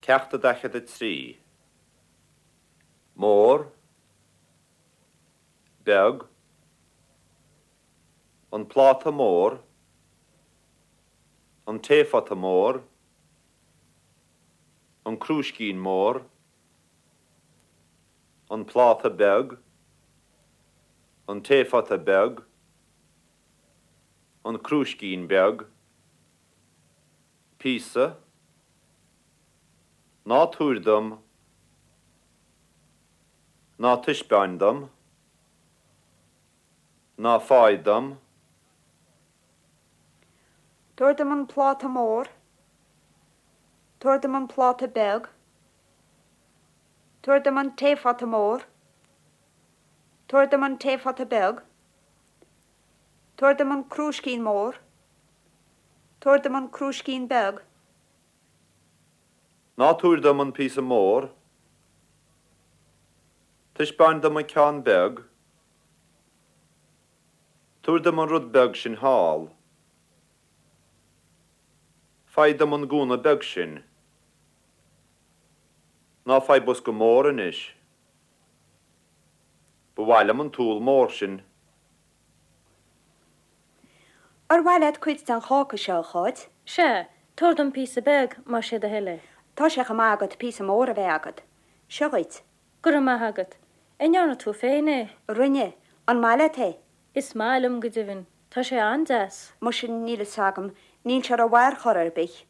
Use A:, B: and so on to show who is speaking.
A: Ceacht 43. Mór, Beag, An pláta mór, An taephota mór, An crúiscín mór, An pláta beag, An taephota beag, An crúiscín beag, Píosa, Ná tabhair dom, Ná taispeáin dom, Ná faigh dom.
B: Tabhair dom an pláta mór. Tabhair dom an pláta beag. Tabhair dom an taephota mór. Tabhair dom an taephota beag. Tabhair dom an crúiscín mór. Tabhair dom an crúiscín beag.
A: Ná tabhair dom an píosa mór. Taispeáin dom an ceann beag. Tabhair dom an rud beag sin thall. Faigh dom an gúna beag sin. Ná faigh bosca mór anois. Ba mhaith liom an t-úll mór sin.
B: Ar mhaith leat cuid den cháca seo, a Cháit?
C: Sea, tabhair dom píosa beag, más é do thoil é.
B: Tá sé chomh maith agat píosa mór a bheith agat. Seo dhuit.
C: Go raibh maith agat. An ndearna tú féin é?
B: Rinne. An maith leat é?
C: Is maith liom, go deimhin. Tá sé an-deas.
B: Muise, níl fhios agam. Níl sé rómhaith ar chor ar bith.